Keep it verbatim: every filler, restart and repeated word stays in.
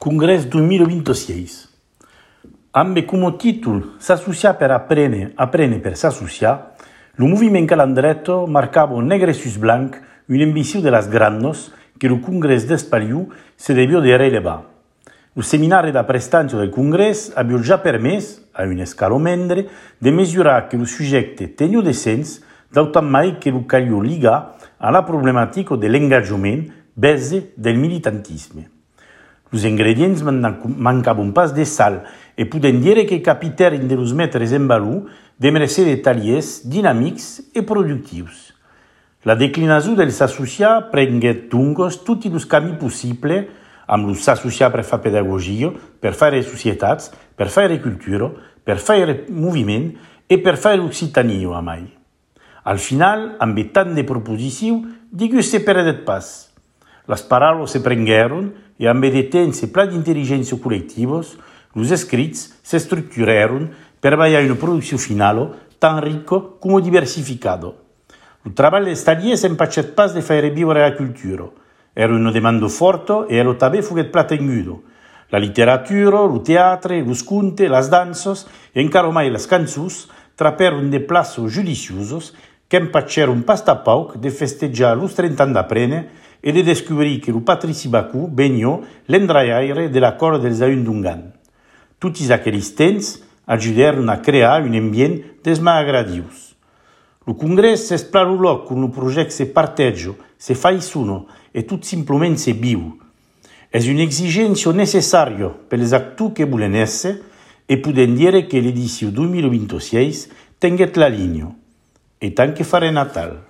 Congrés deux mille vingt-six. Amb come títol S'associar per aprendre, aprendre per s'associar, le moviment calandretto marcava negre sus blanc une ambició de las grandes que el Congrés d'Espaliu se debió de relevar. El seminari d'apprestança del Congrés havia ja permès, a un escalo mendre, de mesurar que el subjecte tenia de sens d'autant mai que el calia ligar a la problemàtica de l'engagement base del militantisme. Els ingredients mancaven pas de sal e podem dir que capiteren de los metres en valor de mercè de tallers dinàmics e productius. La declinació dels associats prengué doncs tots els camins possibles amb els associats per fer pedagogia, per fer societats, per fer cultura, per fer moviment e per fer l'Occitania a mai. Al final, amb tant de proposicions, digue se perdet pas. Les paraules se prengueren e amb de temps e pla d'intel·ligència col·lectivos, els escrits s'estructuraron per veure una producció final tan rica com diversificada. El treball dels tallers empachet pas de fer vivere la cultura. Era una demanda forta e el també foguet pla tenguda. La literatura, el teatre, els contes, les danses e encara mai les cançons traperon de plaços judiciosos que empatxeron pas tapauc de festejar els trenta anys d'aprendre e de descobrir que el Patrici Bacú venia l'endraiaire de l'acord dels Ahundungan. Tots aquells temps ajudaren a crear un ambient dels més agradius. El Congrés s'esplà el lloc on el projecte se parteja, se faisona e tot simplement se viu. És una exigència necessària per als actors que volen ésser e podem dir que l'edició deux mille vingt-six tinguet la línia. E tant que farà Natal.